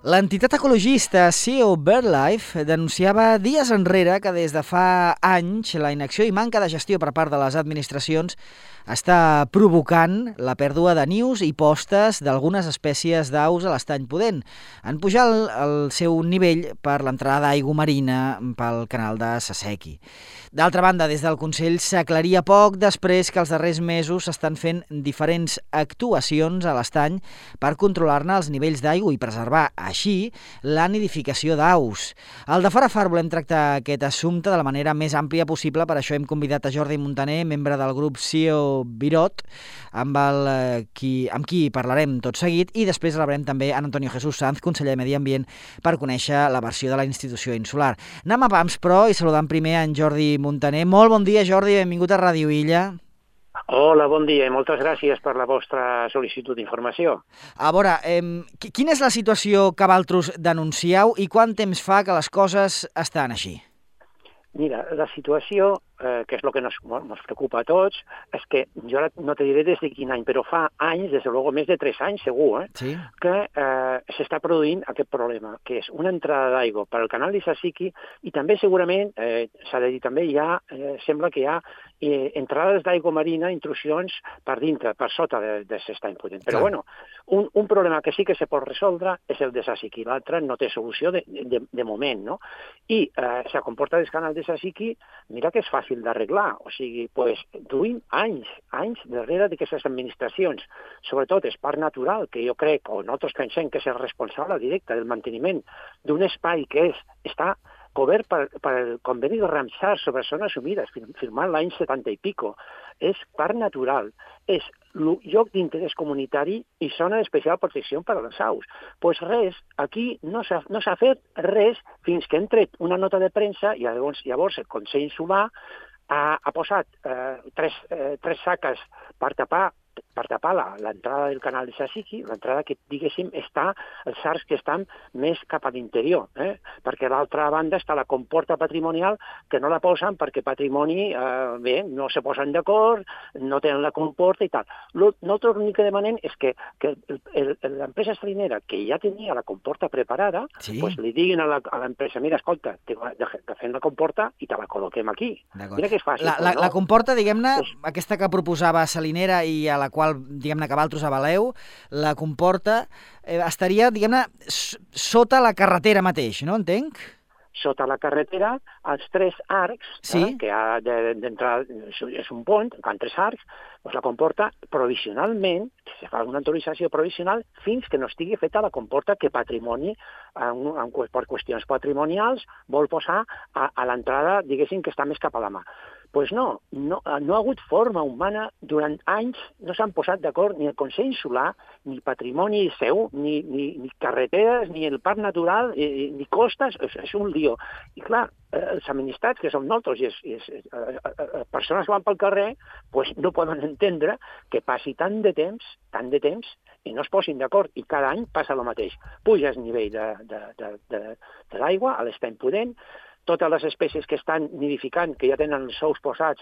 L'entitat ecologista Sea BirdLife denunciava dies enrere que des de fa anys la inacció i manca de gestió per part de les administracions està provocant la pèrdua de nius i postes d'algunes espècies d'aus a l'estany Pudent, en pujar el seu nivell per l'entrada d'aigua marina pel canal de Sassequi. D'altra banda, des del Consell s'aclaria poc després que els darrers mesos s'estan fent diferents actuacions a l'estany per controlar-ne els nivells d'aigua i preservar així la nidificació d'aus. Al de Fora Far volem tractar aquest assumpte de la manera més àmplia possible, per això hem convidat a Jordi Muntaner, membre del grup CEO Birot, amb qui parlarem tot seguit, i després rebrem també en Antonio Jesús Sanz, conseller de Medi Ambient, per conèixer la versió de la institució insular. Anem a pams, però, i saludant primer en Jordi Muntaner. Molt bon dia, Jordi, benvingut a Ràdio Illa. Hola, bon dia i moltes gràcies per la vostra sol·licitud d'informació. A veure, quina és la situació que vosaltres denuncieu i quant temps fa que les coses estan així? Mira, la situació, que és el que nos preocupa a tots, és que jo no te diré des de quin any, però fa anys, des de luego més de 3 anys segur, Sí? que s'està produint aquest problema, que és una entrada d'aigua per al canal de Sassequi i també segurament, s'ha de dir també, sembla que hi ha entrades d'aigua marina, intrusions per dintre, per sota de l'estany Pudent. Però bueno, un problema que sí que se pot resoldre és el de Sassequi, l'altre no té solució de moment, no? I la comporta del canal de Sassequi, mira que és fàcil d'arreglar, o sigui, duim anys darrere d'aquestes administracions, sobretot és Parc Natural, que jo crec, o nosaltres pensem que és el responsable directe del manteniment d'un espai que està cobert per el conveni de Ramsar sobre zones humides, firmat l'any 70 i pico. És Parc Natural, és lloc d'interès comunitari i zona d'especial protecció per a les aus. Doncs res, aquí no s'ha fet res fins que hem tret una nota de premsa i llavors el Consell Insular ha posat tres saques per tapar l'entrada del canal de Sassequi, l'entrada que, diguéssim, està els arcs que estan més cap a l'interior, perquè a l'altra banda està la comporta patrimonial, que no la posen perquè patrimoni, no se posen d'acord, no tenen la comporta i tal. Nosaltres l'únic que demanem és que l'empresa salinera, que ja tenia la comporta preparada, li diguin a l'empresa, mira, escolta, que fem la comporta i te la col·loquem aquí. Mira que és fàcil. La comporta, diguem-ne, aquesta que proposava Salinera i a la qual, diguem-ne, que vosaltres avaleu, la comporta estaria, diguem-ne, sota la carretera mateix, no? Entenc? Sota la carretera, els 3 arcs, que ha d'entrar, és un pont, amb 3 arcs, doncs la comporta provisionalment, se fa una autorització provisional fins que no estigui feta la comporta que Patrimoni, per qüestions patrimonials, vol posar a l'entrada, diguéssim, que està més cap a la mà. Doncs no ha hagut forma humana, durant anys no s'han posat d'acord ni el Consell Insular, ni Patrimoni seu, ni carreteres, ni el Parc Natural, ni costes, és un lío. I clar, els administrats, que som nosaltres, i persones que van pel carrer, no poden entendre que passi tant de temps, i no es posin d'acord, i cada any passa el mateix. Puja el nivell de l'aigua a l'estany Pudent, totes les espècies que estan nidificant, que ja tenen els ous posats,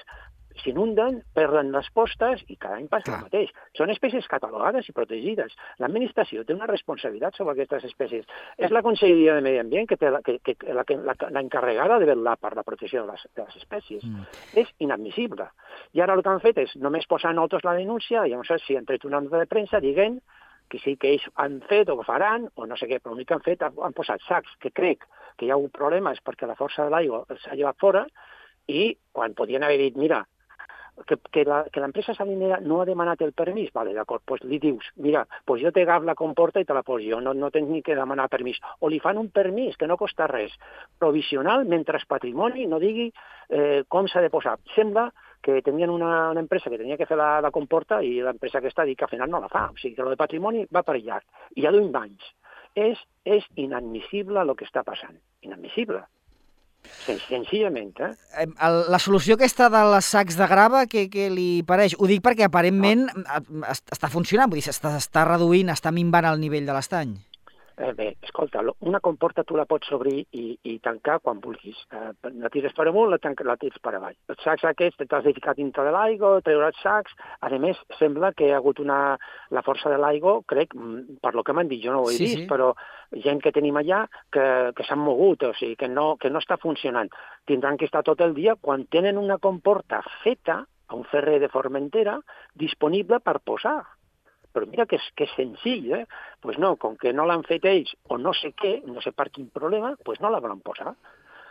s'inunden, perden les postes i cada any passa el mateix. Són espècies catalogades i protegides. L'administració té una responsabilitat sobre aquestes espècies. És la Conselleria de Medi Ambient que té l'encarregada de vetllar per la protecció de les espècies. És inadmissible. I ara el que han fet és només posar nosaltres la denúncia, i llavors si han tret una nota de premsa dient que sí que ells han fet o faran, o no sé què, però l'únic que han fet, han posat sacs, que crec que hi ha un problema, és perquè la força de l'aigua s'ha llevat fora, i quan podien haver dit, mira, que l'empresa salinera no ha demanat el permís, vale, d'acord, doncs li dius, mira, doncs jo t'agaf la comporta i te la poso jo, no tens ni que demanar permís. O li fan un permís, que no costa res, provisional, mentre Patrimoni no digui com s'ha de posar. Sembla que tenien una empresa que tenia que fer la comporta i l'empresa aquesta diu que al final no la fa. O sigui, que el de Patrimoni va per llarg. I ja duim anys. És inadmissible el que està passant. Inadmissible. Senzillament, La solució aquesta de les sacs de grava, què li pareix? Ho dic perquè aparentment està funcionant, vull dir, s'està reduint, està minvant el nivell de l'estany. Bé, escolta, una comporta tu la pots obrir i tancar quan vulguis. La tires per amunt, la tires per avall. Els sacs aquests t'has de ficar dintre de l'aigua, treure els sacs. A més, sembla que hi ha hagut la força de l'aigua, crec, per lo que m'han dit, jo no ho he vist, però gent que tenim allà que s'han mogut, o sigui, que no està funcionant. Tindran que estar tot el dia quan tenen una comporta feta a un ferrer de Formentera disponible per posar. Però mira que és senzill, Pues no, com que no l'han fet ells, o no sé què, no sé per quin problema, pues no la volen posar.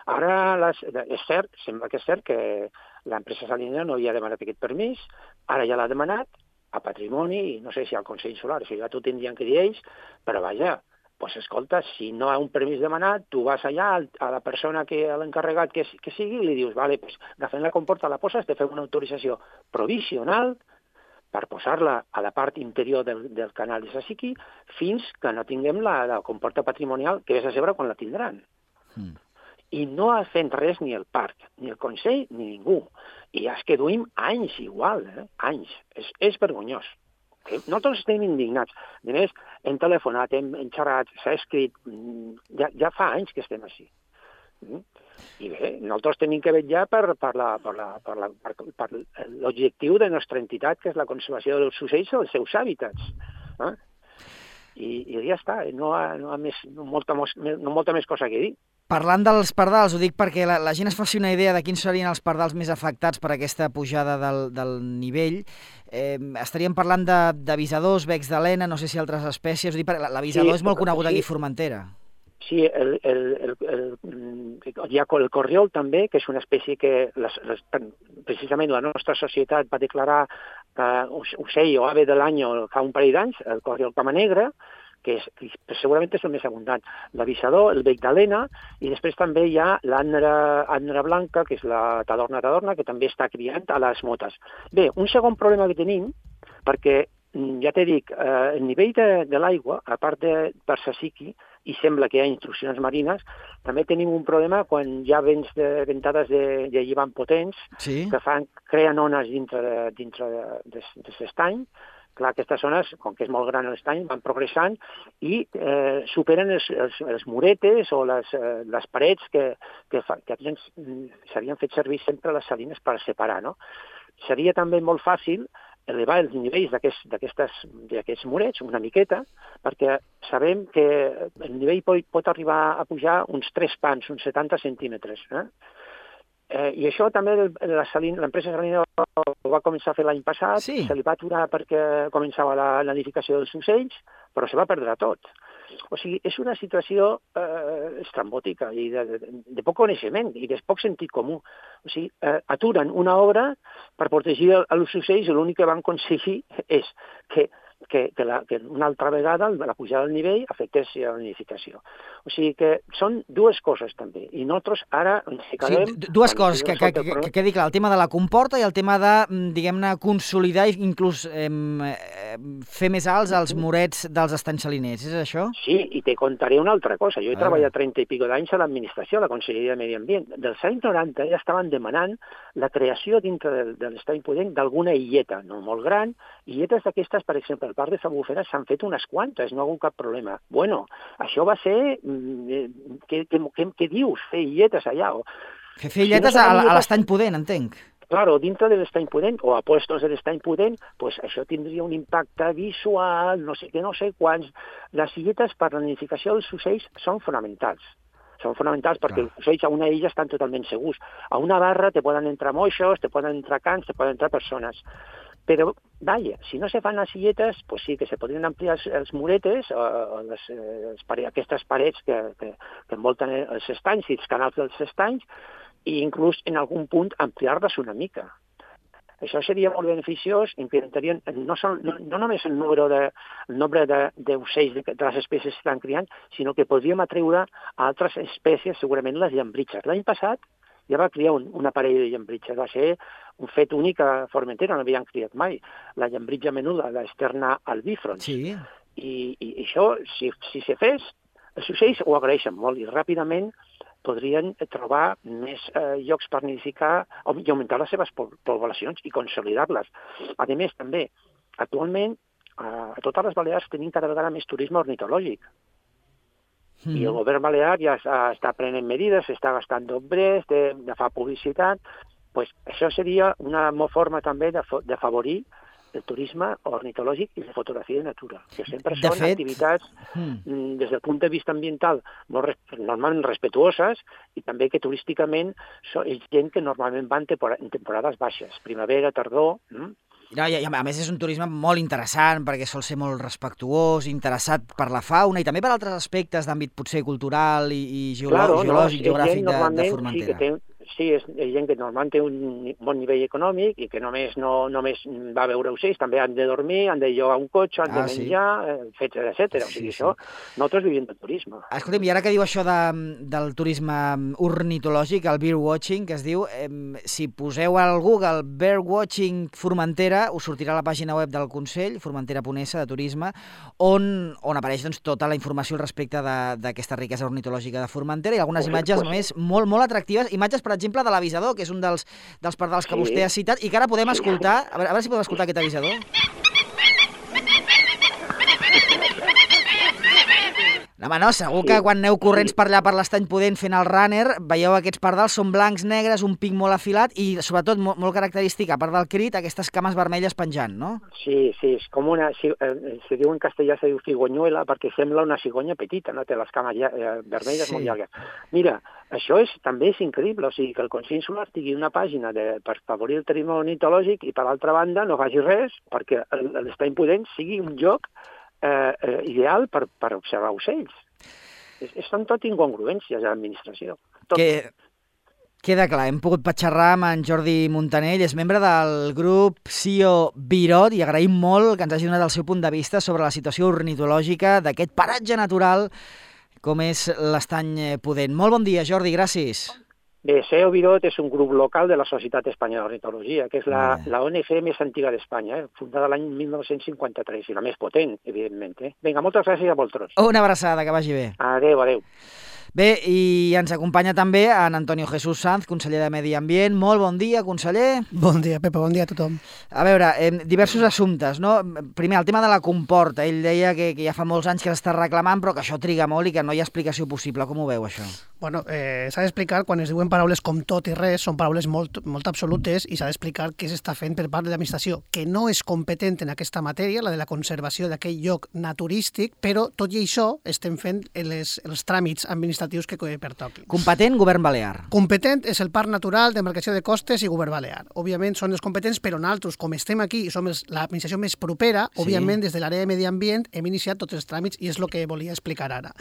Ara és cert, sembla que és cert que l'empresa salinera no havia demanat aquest permís, ara ja l'ha demanat a Patrimoni, i no sé si al Consell Solar, això ja t'ho tindrien que dir ells, però vaja, pues escolta, si no hi ha un permís demanat, tu vas allà a la persona, a l'encarregat que sigui, i li dius, vale, pues agafant la comporta, la poses, te fem una autorització provisional per posar-la a la part interior del canal de Sassiqui fins que no tinguem la comporta patrimonial, que és a saber quan la tindran. I no ha fet res ni el parc, ni el Consell, ni ningú. I és que duim anys igual, anys. És vergonyós. Nosaltres estem indignats. A més, hem telefonat, hem xerrat, s'ha escrit, ja fa anys que estem així. I bé, nosaltres tenim que vetllar per l'objectiu de la nostra entitat, que és la conservació dels ocells i dels seus hàbitats. I ja està, no molta més cosa que dir. Parlant dels pardals, ho dic perquè la gent es faci una idea de quins serien els pardals més afectats per aquesta pujada del nivell. Estaríem parlant d'avisadors, becs d'alena, no sé si altres espècies. L'avisador és molt conegut aquí a Formentera. Sí, hi ha el corriol també, que és una espècie que precisament la nostra societat va declarar ocell o ave de l'any fa un parell d'anys, el corriol cama negra, que segurament és el més abundant. L'avisador, el bec d'alena, i després també hi ha l'ànera blanca, que és la tadorna, que també està criant a les motes. Bé, un segon problema que tenim, perquè ja t'he dit, el nivell de l'aigua, a part de per Sassiqui, i sembla que hi ha intrusions marines, també tenim un problema quan hi ha ventades de llevant potents que creen ones dintre de l'estany. Clar, aquestes zones, com que és molt gran l'estany, van progressant i superen els muretes o les parets que s'havien fet servir sempre les salines per separar, no? Seria també molt fàcil elevar els nivells d'aquests murets una miqueta, perquè sabem que el nivell pot arribar a pujar uns 3 pans, uns 70 centímetres. I això també l'empresa salinera ho va començar a fer l'any passat, se li va aturar perquè començava la nidificació dels ocells, però se va perdre tot. O sigui, és una situació estrambòtica i de poc coneixement i de poc sentit comú. O sigui, aturen una obra per protegir els ocells i l'únic que van aconseguir és que una altra vegada la pujada del nivell afectés la nidificació. O sigui que són dues coses també. I nosaltres ara ens ficarem... Dues coses, que quedi clar, el tema de la comporta i el tema de, diguem-ne, consolidar i inclús fer més alts els murets dels estanys saliners, és això? Sí, i te contaré una altra cosa. Jo he treballat 30 i pico d'anys a l'administració, a la Conselleria de Medi Ambient. Dels anys 90 ja estaven demanant la creació dintre de l'estany pudent d'alguna illeta, no molt gran, illetes d'aquestes, per exemple, al parc de Fabufera s'han fet unes quantes, no ha hagut cap problema. Bueno, això va ser... Què dius? Fer illetes allà? Fer illetes a l'estany pudent, entenc. Claro, dintre de l'estany pudent o a puestos de l'estany pudent, pues això tindria un impacte visual, no sé què, no sé quants. Les illetes per la nidificació dels ocells són fonamentals. Són fonamentals perquè els ocells a una illa estan totalment segurs. A una barra te poden entrar moixos, te poden entrar cans, te poden entrar persones. Però, vaja, si no se fan les illetes, pues sí que se podrien ampliar els muretes, aquestes parets que envolten els estanys i els canals dels estanys, i inclús en algun punt ampliar-les una mica. Això seria molt beneficiós, incrementarien no només el nombre d'ocells de les espècies que estan criant, sinó que podríem atreure a altres espècies, segurament les llambritxes. L'any passat ja va criar un parell de llambritxes, va ser un fet únic a Formentera, no havien criat mai. La llambritja menuda, l'Esterna albifrons. Sí. I això, si se fes, els ocells ho agraeixen molt i ràpidament podrien trobar més llocs per nidificar i augmentar les seves poblacions i consolidar-les. A més, també, actualment, a totes les Balears tenim cada vegada més turisme ornitològic. I el govern balear ja està prenent medides, està gastant obrers, fa publicitat. Pues això seria una forma també d'afavorir el turisme ornitològic i la fotografia de natura, que sempre són activitats, des del punt de vista ambiental, normalment respetuoses, i també que turísticament és gent que normalment va en temporades baixes, primavera, tardor. I a més és un turisme molt interessant perquè sol ser molt respectuós, interessat per la fauna i també per altres aspectes d'àmbit potser cultural i geològic, geogràfic de Formentera. Sí, és gent que normalment té un bon nivell econòmic i que només va a veure ocells, també han de dormir, han de llogar un cotxe, han de menjar, etc. O sigui, això, nosaltres vivim del turisme. Escolta'm, i ara que diu això del turisme ornitològic, el birdwatching, que es diu, si poseu al Google birdwatching Formentera, us sortirà la pàgina web del Consell, Formentera.es, de turisme, on apareix tota la informació al respecte d'aquesta riquesa ornitològica de Formentera i algunes imatges, a més, molt, molt atractives, imatges, per exemple, de l'avisador, que és un dels pardals que vostè ha citat, i que ara podem escoltar. A veure si podem escoltar aquest avisador. Home, no, segur que quan aneu corrents per allà per l'Estany Pudent fent el runner, veieu aquests pardals, són blancs, negres, un pic molt afilat i, sobretot, molt característic, a part del crit, aquestes cames vermelles penjant, no? Sí, és com una... Se diu en castellà, se diu cigonyuela, perquè sembla una cigonya petita, no? Té les cames vermelles molt llargues. Mira, això també és increïble, o sigui, que el Consell Insular tingui una pàgina per favorir el turisme ornitològic i, per altra banda, no faci res perquè l'Estany Pudent sigui un lloc ideal per observar ocells. Són tot incongruències a l'administració. Queda clar, hem pogut xerrar amb en Jordi Montanell, és membre del grup CIO Birot, i agraïm molt que ens hagi donat el seu punt de vista sobre la situació ornitològica d'aquest paratge natural com és l'Estany Pudent. Molt bon dia, Jordi, gràcies. Bé, CIO Birot és un grup local de la Societat Espanyola d'Ornitologia, que és la ONG més antiga d'Espanya, fundada l'any 1953, i la més potent, evidentment. Vinga, moltes gràcies a vosaltres. Una abraçada, que vagi bé. Adéu. Bé, i ens acompanya també en Antonio Jesús Sanz, conseller de Medi Ambient. Molt bon dia, conseller. Bon dia, Pepe, bon dia a tothom. A veure, diversos assumptes, no? Primer, el tema de la comporta. Ell deia que ja fa molts anys que l'està reclamant, però que això triga molt i que no hi ha explicació possible. Com ho veu, això? Bueno, s'ha d'explicar, quan es diuen paraules com tot i res, són paraules molt absolutes i s'ha d'explicar què s'està fent per part de l'administració, que no és competent en aquesta matèria, la de la conservació d'aquell lloc naturístic, però tot i això estem fent els tràmits administratius que pertoquin. Competent, govern balear. Competent és el Parc Natural, Demarcació de Costes i govern balear. Òbviament són els competents, però nosaltres, com estem aquí i som l'administració més propera, òbviament des de l'àrea de Medi Ambient hem iniciat tots els tràmits i és el que volia explicar ara.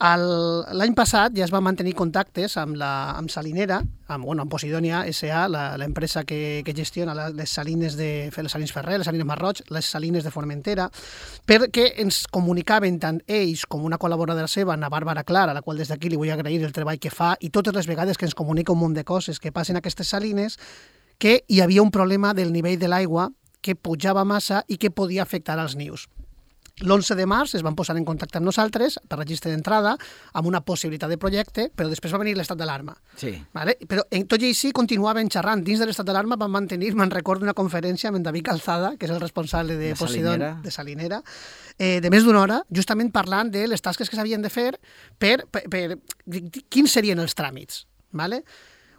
L'any passat ja es va mantenir contactes amb Salinera, amb Posidonia S.A., l'empresa que gestiona les salines les salines Ferrer, les salines Marroig, les salines de Formentera, perquè ens comunicaven tant ells com una col·laboradora seva, la Bàrbara Clara, a la qual des d'aquí li vull agrair el treball que fa, i totes les vegades que ens comunica un munt de coses que passen a aquestes salines, que hi havia un problema del nivell de l'aigua que pujava massa i que podia afectar els nius. L'11 de març es van posar en contacte amb nosaltres per registre d'entrada amb una possibilitat de projecte, però després va venir l'estat d'alarma. Sí. Vale? Però tot i així continuaven xerrant. Dins de l'estat d'alarma van mantenir, me'n recordo, una conferència amb en David Calzada, que és el responsable de Posidón, de Salinera, de més d'una hora, justament parlant de les tasques que s'havien de fer per quins serien els tràmits. Vale?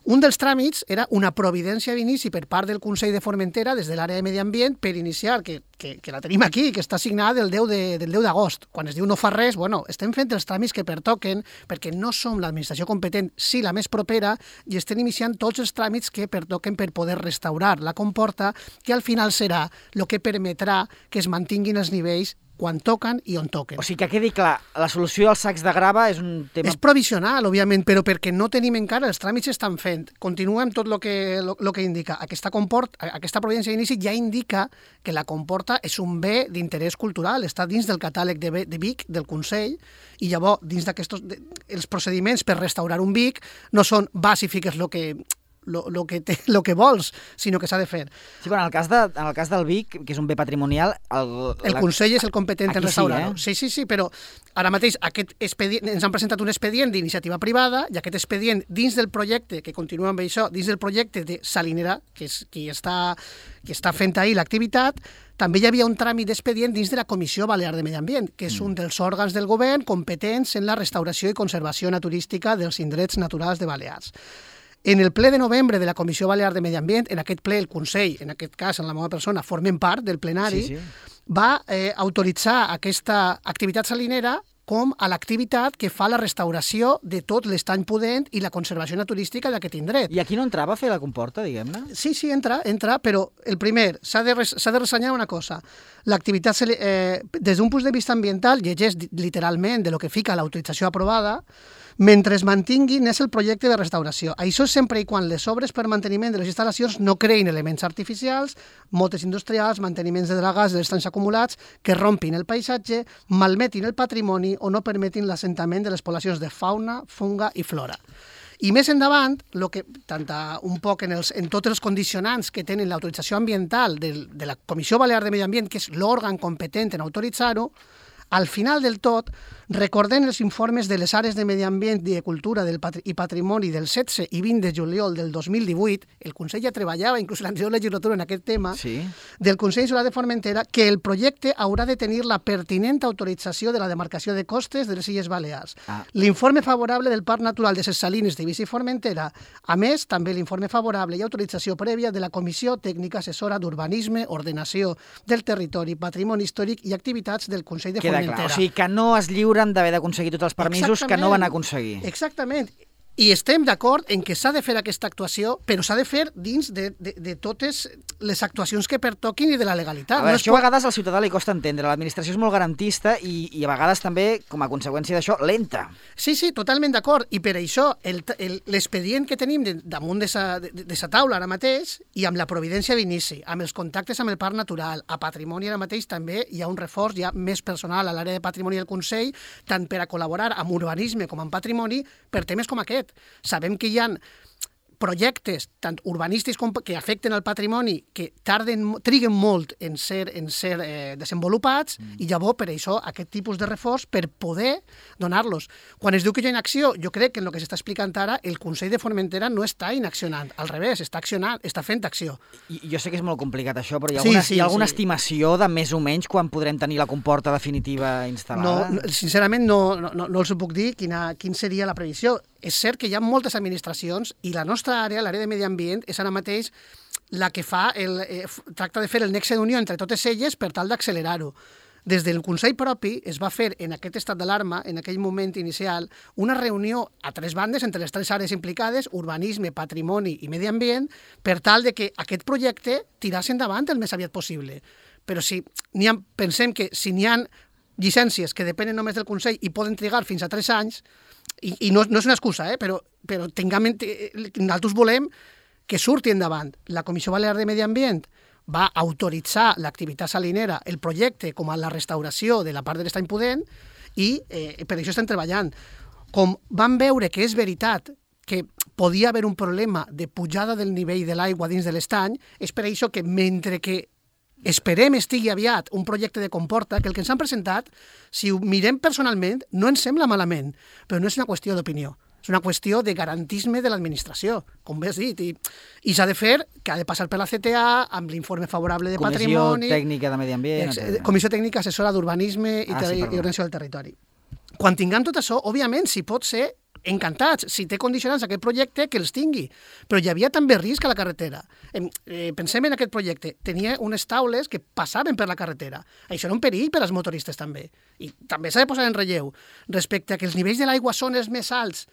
Un dels tràmits era una providència d'inici per part del Consell de Formentera des de l'àrea de Medi Ambient per iniciar, que la tenim aquí, que està signada del 10 d'agost. Quan es diu no fa res, estem fent els tràmits que pertoquen perquè no som l'administració competent, sí la més propera, i estem iniciant tots els tràmits que pertoquen per poder restaurar la comporta, que al final serà el que permetrà que es mantinguin els nivells quan toquen i on toquen. O sigui, que quedi clar, la solució als sacs de grava és un tema... És provisional, òbviament, però perquè no tenim encara, els tràmits estan fent. Continuem tot el que indica. Aquesta providència d'inici ja indica que la comporta és un bé d'interès cultural, està dins del catàleg de Vic, del Consell, i llavors, dins d'aquests els procediments per restaurar un Vic no són vas i fiques el que que vols, sinó que s'ha de fer. Sí, però en el cas del Vic, que és un bé patrimonial... El Consell és el competent en restaurar-ho. Sí, però ara mateix ens han presentat un expedient d'iniciativa privada i aquest expedient dins del projecte, que continua amb això, dins del projecte de Salinera, que és qui està fent ahir l'activitat, també hi havia un tràmit d'expedient dins de la Comissió Balear de Medi Ambient, que és un dels òrgans del govern competents en la restauració i conservació naturística dels indrets naturals de Balears. En el ple de novembre de la Comissió Balear de Medi Ambient, en aquest ple el Consell, en aquest cas en la meva persona, formem part del plenari, va autoritzar aquesta activitat salinera com a l'activitat que fa la restauració de tot l'estany pudent i la conservació naturística d'aquest indret. I aquí no entrava a fer la comporta, diguem-ne? Sí, entra, però el primer, s'ha de ressenyar una cosa. L'activitat, des d'un punt de vista ambiental, llegeix literalment de lo que fica l'autorització aprovada, mentre es mantingui n'és el projecte de restauració. Això sempre i quan les obres per manteniment de les instal·lacions no creïn elements artificials, motes industrials, manteniments de dragats dels estanys acumulats, que rompin el paisatge, malmetin el patrimoni o no permetin l'assentament de les poblacions de fauna, funga i flora. I més endavant, un poc en tots els condicionants que tenen l'autorització ambiental de la Comissió Balear de Medi Ambient, que és l'òrgan competent en autoritzar-ho, al final del tot, recordem els informes de les àrees de Medi Ambient i de Cultura i Patrimoni del 16 i 20 de juliol del 2018, el Consell ja treballava, inclús l'anterior legislatura, en aquest tema, del Consell Insular de Formentera, que el projecte haurà de tenir la pertinent autorització de la demarcació de costes de les Illes Balears. L'informe favorable del Parc Natural de Ses Salines d'Eivissa i Formentera, a més, també l'informe favorable i autorització prèvia de la Comissió Tècnica Assessora d'Urbanisme, Ordenació del Territori, Patrimoni Històric i Activitats del Consell de Formentera. Clar, o sigui que no es lliuren d'haver d'aconseguir tots els permisos que no van aconseguir. Exactament. I estem d'acord en que s'ha de fer aquesta actuació, però s'ha de fer dins de totes les actuacions que pertoquin i de la legalitat. A veure, això a vegades al ciutadà li costa entendre. L'administració és molt garantista i a vegades també, com a conseqüència d'això, lenta. Sí, totalment d'acord. I per això l'expedient que tenim damunt d'aquesta taula ara mateix i amb la providència d'inici, amb els contactes amb el Parc Natural, a Patrimoni ara mateix també hi ha un reforç ja més personal a l'àrea de Patrimoni del Consell, tant per a col·laborar amb urbanisme com amb patrimoni per temes com aquest. Sabem que hi ha projectes, tant urbanístics com que afecten el patrimoni, que triguen molt en ser desenvolupats, i llavors per això aquest tipus de reforç per poder donar-los. Quan es diu que hi ha inacció, jo crec que en el que s'està explicant ara, el Consell de Formentera no està inaccionant, al revés, està accionant, està fent acció. Jo sé que és molt complicat això, però hi ha alguna estimació de més o menys quan podrem tenir la comporta definitiva instal·lada? No, sincerament no els puc dir quin seria la previsió. És cert que hi ha moltes administracions i la nostra àrea, l'àrea de Medi Ambient, és ara mateix la que tracta de fer el nexe d'unió entre totes elles per tal d'accelerar-ho. Des del Consell propi es va fer en aquest estat d'alarma, en aquell moment inicial, una reunió a 3 bandes entre les 3 àrees implicades, urbanisme, patrimoni i medi ambient, per tal de que aquest projecte tiràs endavant el més aviat possible. Però pensem que si n'hi ha llicències que depenen només del Consell i poden trigar fins a 3 anys, i no és una excusa, però nosaltres volem que surti endavant. La Comissió Balear de Medi Ambient va autoritzar l'activitat salinera, el projecte, com a la restauració de la part de l'estany pudent, i per això estem treballant. Com vam veure que és veritat que podia haver un problema de pujada del nivell de l'aigua dins de l'estany, és per això que mentre que esperem estigui aviat un projecte de comporta, que el que ens han presentat, si ho mirem personalment, no ens sembla malament, però no és una qüestió d'opinió. És una qüestió de garantisme de l'administració, com bé has dit, i s'ha de fer, que ha de passar per la CTA, amb l'informe favorable de patrimoni... Comissió Tècnica de Medi Ambient... Comissió Tècnica Assessora d'Urbanisme i Ordenació del Territori. Quan tinguem tot això, òbviament, si pot ser encantats, si té condicionants aquest projecte, que els tingui. Però hi havia també risc a la carretera. Pensem en aquest projecte. Tenia unes taules que passaven per la carretera. Això era un perill per als motoristes també. I també s'ha de posar en relleu. Respecte a que els nivells de l'aigua són els més alts,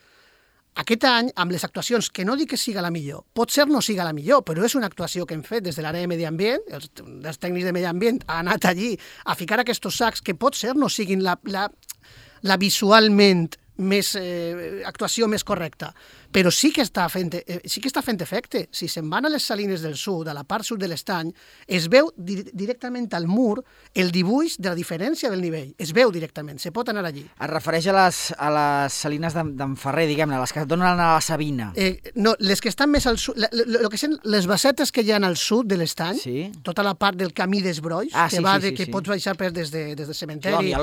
aquest any, amb les actuacions, que no dic que siga la millor, pot ser no siga la millor, però és una actuació que hem fet des de l'àrea de Medi Ambient, els tècnics de Medi Ambient han anat allí a ficar aquests sacs que pot ser no siguin la visualment actuació més correcta, però sí que està fent efecte. Si se'n van a les salines del sud, a la part sud de l'estany, es veu directament al mur el dibuix de la diferència del nivell. Es veu directament, se pot anar allí. Es refereix a les salines d'en Ferrer, diguem-ne, les que donen a la Sabina. No, les que estan més al sud, que són les basetes que hi ha al sud de l'estany, tota la part del camí d'Esbrolls, que pots baixar des del cementeri.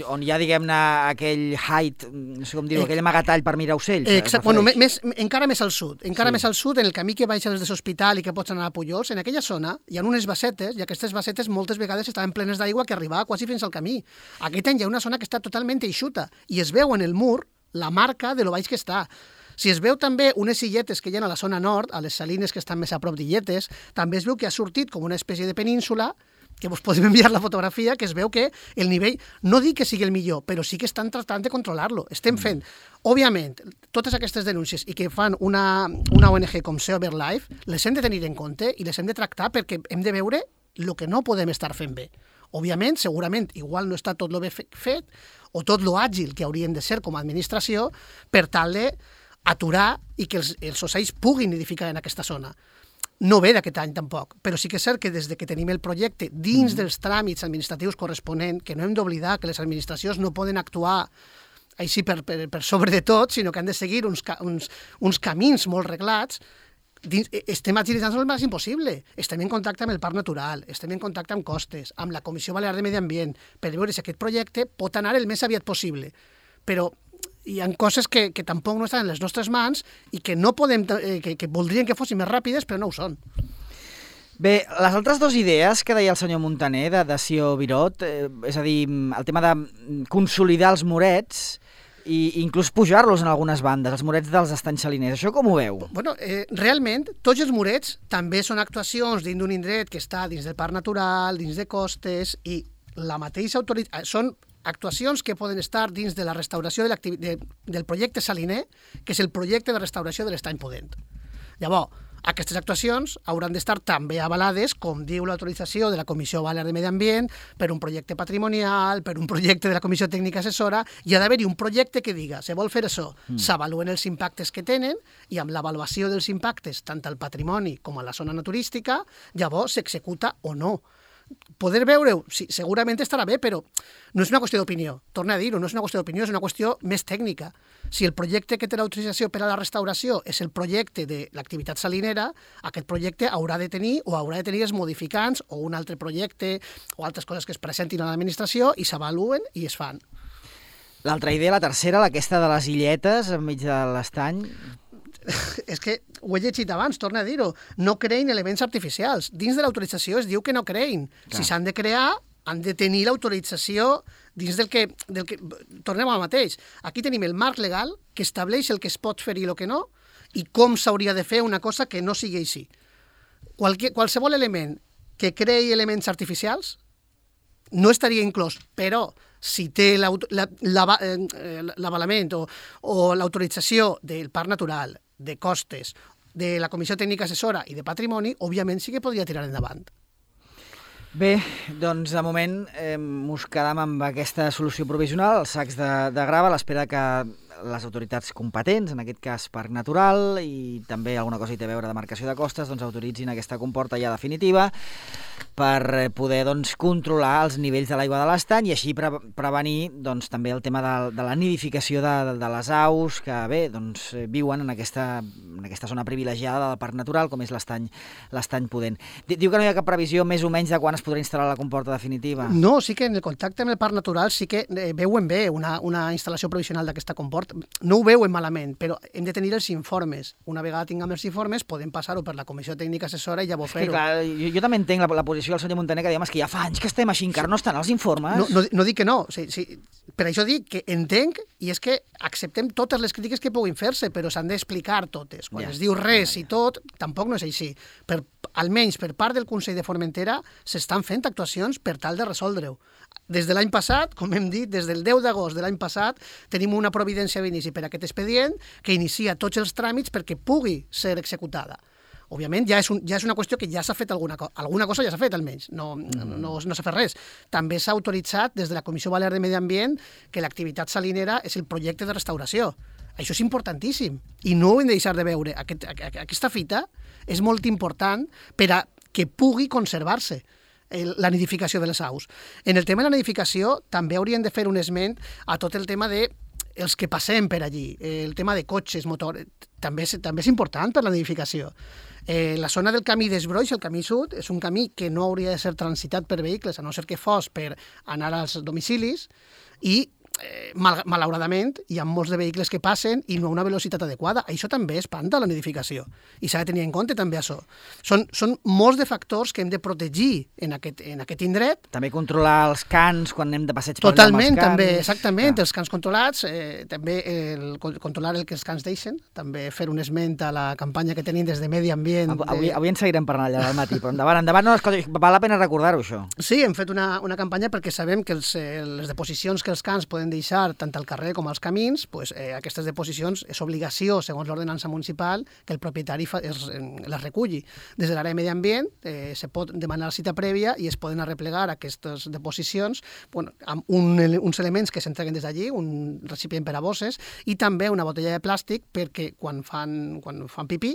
On hi ha, diguem-ne, aquell height, no sé com dir-ho, aquell amagatall per mirar ocells. Bueno, encara més al sud, en el camí que baixa des de l'hospital i que pots anar a Pujols, en aquella zona hi ha unes basetes, i aquestes basetes moltes vegades estaven plenes d'aigua que arribava quasi fins al camí. Aquest any hi ha una zona que està totalment eixuta i es veu en el mur la marca de lo baix que està. Si es veu també unes illetes que hi ha a la zona nord, a les salines que estan més a prop d'illetes, també es veu que ha sortit com una espècie de península, que vos podem enviar la fotografia, que es veu que el nivell, no dic que sigui el millor, però sí que estan tratant de controlar-lo. Estem fent, òbviament, totes aquestes denúncies i que fan una ONG com Save Our Life, les hem de tenir en compte i les hem de tractar perquè hem de veure el que no podem estar fent bé. Òbviament, segurament, igual no està tot lo bé fet o tot lo àgil que haurien de ser com a administració per tal d'aturar i que els ocells puguin nidificar en aquesta zona. No ve d'aquest any tampoc, però sí que és cert que des que tenim el projecte dins dels tràmits administratius corresponents, que no hem d'oblidar que les administracions no poden actuar així per sobre de tot, sinó que han de seguir uns camins molt reglats, estem agilitzant-nos el màxim possible. Estem en contacte amb el Parc Natural, estem en contacte amb Costes, amb la Comissió Balear de Medi Ambient, per veure si aquest projecte pot anar el més aviat possible. Però hi ha coses que tampoc no estan en les nostres mans i que no podem, que voldrien que fossin més ràpides, però no ho són. Bé, les altres dues idees que deia el senyor Muntaner de Sió Virot, és a dir, el tema de consolidar els murets i inclús pujar-los en algunes bandes, els murets dels estanys saliners. Això com ho veu? Bueno, realment, tots els murets també són actuacions dins d'un indret que està dins del Parc Natural, dins de Costes, i la mateixa autoritat... Són actuacions que poden estar dins de la restauració del projecte saliner, que és el projecte de restauració de l'estany Pudent. Llavors, aquestes actuacions hauran d'estar també avalades, com diu l'autorització de la Comissió Balear de Medi Ambient, per un projecte patrimonial, per un projecte de la Comissió Tècnica Assessora. Hi ha d'haver-hi un projecte que diga, si vol fer això, s'avaluen els impactes que tenen i amb l'avaluació dels impactes, tant al patrimoni com a la zona naturística, llavors s'executa o no. Poder veure-ho, sí, segurament estarà bé, però no és una qüestió d'opinió. Torna a dir-ho, no és una qüestió d'opinió, és una qüestió més tècnica. Si el projecte que té l'autorització per a la restauració és el projecte de l'activitat salinera, aquest projecte haurà de tenir els modificants o un altre projecte o altres coses que es presentin a l'administració i s'avaluen i es fan. L'altra idea, la tercera, aquesta de les illetes enmig de l'estany... És que ho he llegit abans, torna a dir-ho, no creïn elements artificials. Dins de l'autorització es diu que no creïn. Si s'han de crear, han de tenir l'autorització dins del que... Tornem al mateix. Aquí tenim el marc legal que estableix el que es pot fer i el que no, i com s'hauria de fer una cosa que no sigui així. Qualsevol element que creï elements artificials no estaria inclòs, però si té l'avalament o l'autorització del Parc Natural, de Costes, de la Comissió Tècnica Assessora i de Patrimoni, òbviament sí que podria tirar endavant. Bé, doncs de moment us quedam amb aquesta solució provisional, els sacs de grava, a l'espera que les autoritats competents, en aquest cas Parc Natural, i també alguna cosa hi té a veure de marcació de costes, doncs autoritzin aquesta comporta ja definitiva per poder controlar els nivells de l'aigua de l'estany i així prevenir també el tema de la nidificació de les aus que bé, viuen en aquesta zona privilegiada del Parc Natural com és l'estany Pudent. Diu que no hi ha cap previsió més o menys de quan es podrà instal·lar la comporta definitiva? No, sí que en el contacte amb el Parc Natural sí que veuen bé una instal·lació provisional d'aquesta comporta. No ho veuen malament, però hem de tenir els informes. Una vegada tinguem els informes podem passar-ho per la Comissió Tècnica Assessora i llavors fer-ho. Clar, jo també entenc la posició del senyor Muntaner que diem que ja fa anys que estem així, encara no estan els informes. No dic que no, per això dic que entenc i és que acceptem totes les crítiques que puguin fer-se, però s'han d'explicar totes. Quan es diu res i tot, tampoc no és així. Almenys per part del Consell de Formentera s'estan fent actuacions per tal de resoldre-ho. Des de l'any passat, com hem dit, des del 10 d'agost de l'any passat, tenim una providència d'inici per a aquest expedient que inicia tots els tràmits perquè pugui ser executada. Òbviament, ja és una qüestió que ja s'ha fet alguna cosa ja s'ha fet, almenys, no s'ha fet res. També s'ha autoritzat des de la Comissió Balear de Medi Ambient que l'activitat salinera és el projecte de restauració. Això és importantíssim i no ho hem de deixar de veure. Aquesta fita és molt important per a que pugui conservar-se la nidificació de les aus. En el tema de la nidificació també hauríem de fer un esment a tot el tema de els que passem per allí, el tema de cotxes, motor, també és important per la nidificació. La zona del camí d'Esbroix, el camí sud, és un camí que no hauria de ser transitat per vehicles, a no ser que fos per anar als domicilis, i malauradament hi ha molts de vehicles que passen i no a una velocitat adequada. Això també espanta la nidificació i s'ha de tenir en compte també això. Són molts de factors que hem de protegir en aquest indret. També controlar els cans quan anem de passeig per allà amb els cans. Totalment, també, exactament, els cans controlats, també controlar el que els cans deixen, també fer un esment a la campanya que tenim des de Medi Ambient. Avui en seguirem parlant allà del matí, però endavant, no, val la pena recordar-ho, això. Sí, hem fet una campanya perquè sabem que les deposicions que els cans poden deixar tant al carrer com als camins, aquestes deposicions és obligació, segons l'ordenança municipal, que el propietari les reculli. Des de l'àrea de Medi Ambient se pot demanar cita prèvia i es poden arreplegar aquestes deposicions amb uns elements que s'entreguen des d'allí, un recipient per a bosses i també una botella de plàstic perquè quan fan pipí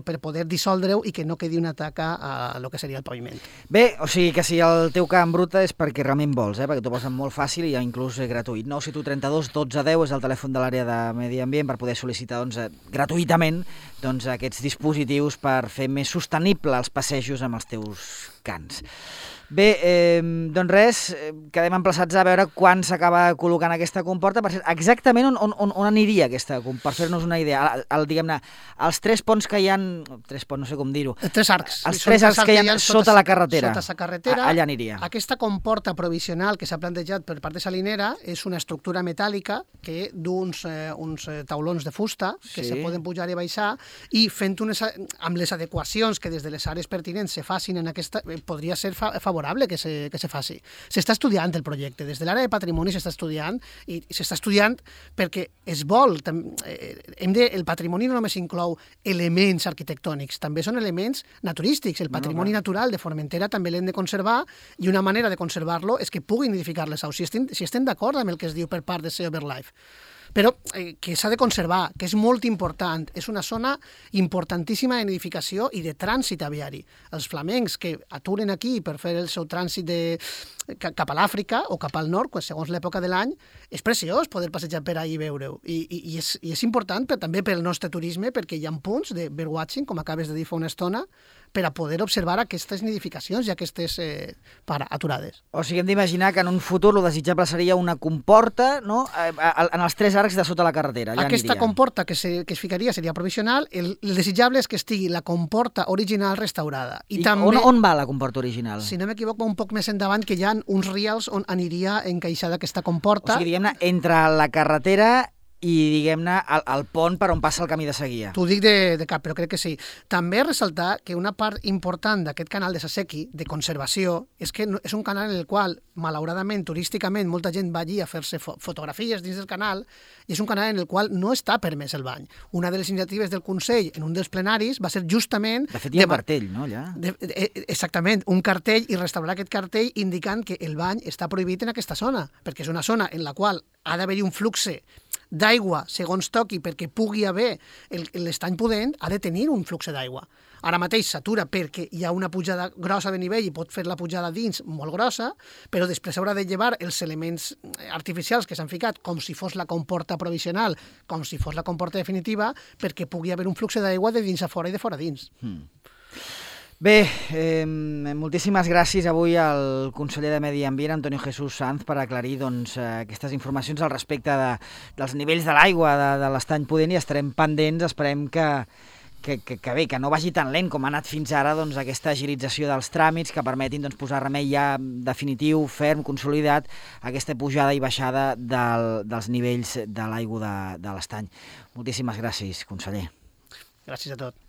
per poder dissoldre-ho i que no quedi una taca a lo que seria el paviment. Bé, o sigui que si el teu camp bruta és perquè realment vols, perquè t'ho posen molt fàcil i inclús gratuït. 972 12 10 és el telèfon de l'àrea de Medi Ambient per poder sol·licitar gratuïtament aquests dispositius per fer més sostenible els passejos amb els teus cans. Bé, doncs res, quedem emplaçats a veure quan s'acaba col·locant aquesta comporta. Per cert, exactament on aniria aquesta, per fer-nos una idea? Diguem-ne, els 3 ponts que hi ha... 3 ponts, no sé com dir-ho. 3 arcs. Els 3 arcs que hi ha sota la carretera. Sota la carretera. Allà aniria. Aquesta comporta provisional que s'ha plantejat per part de Salinera és una estructura metàl·lica que du uns taulons de fusta que se poden pujar i baixar i fent amb les adequacions que des de les àrees pertinents se facin en aquesta, podria ser favorable que se faci. S'està estudiant el projecte, des de l'àrea de patrimoni s'està estudiant i s'està estudiant perquè es vol, el patrimoni no només inclou elements arquitectònics, també són elements naturístics, el patrimoni natural de Formentera també l'hem de conservar i una manera de conservar-lo és que puguin nidificar les aus, si estem d'acord amb el que es diu per part de Sea BirdLife. Però que s'ha de conservar, que és molt important. És una zona importantíssima de nidificació i de trànsit aviari. Els flamencs que aturen aquí per fer el seu trànsit cap a l'Àfrica o cap al nord, segons l'època de l'any, és preciós poder passejar per allà i veure-ho. I és important també pel nostre turisme, perquè hi ha punts de birdwatching, com acabes de dir fa una estona, per a poder observar aquestes nidificacions i aquestes aturades. O sigui, hem d'imaginar que en un futur el desitjable seria una comporta, no?, en els 3 arcs de sota la carretera. Aquesta comporta que es ficaria seria provisional. El desitjable és que estigui la comporta original restaurada. I també, on va la comporta original? Si no m'equivoco, un poc més endavant, que hi ha uns rials on aniria encaixada aquesta comporta. O sigui, diguem-ne, entre la carretera i, diguem-ne, el pont per on passa el camí de seguida. T'ho dic de cap, però crec que sí. També ressaltar que una part important d'aquest canal de Sasequi, de conservació, és que és un canal en el qual, malauradament, turísticament, molta gent va allí a fer-se fotografies dins del canal, i és un canal en el qual no està permès el bany. Una de les iniciatives del Consell en un dels plenaris va ser justament... De fet, hi ha un cartell, no, allà? Exactament, un cartell, i restaurar aquest cartell indicant que el bany està prohibit en aquesta zona, perquè és una zona en la qual ha d'haver-hi un flux d'aigua, segons toqui, perquè pugui haver l'estany pudent, ha de tenir un flux d'aigua. Ara mateix s'atura perquè hi ha una pujada grossa de nivell i pot fer la pujada dins molt grossa, però després s'haurà de llevar els elements artificials que s'han ficat, com si fos la comporta provisional, com si fos la comporta definitiva, perquè pugui haver un flux d'aigua de dins a fora i de fora a dins. Bé, moltíssimes gràcies avui al conseller de Medi Ambient, Antonio Jesús Sanz, per aclarir aquestes informacions al respecte dels nivells de l'aigua de l'estany pudent, i estarem pendents, esperem que bé, que no vagi tan lent com ha anat fins ara aquesta agilització dels tràmits que permetin posar remei ja definitiu, ferm, consolidat, a aquesta pujada i baixada dels nivells de l'aigua de l'estany. Moltíssimes gràcies, conseller. Gràcies a tot.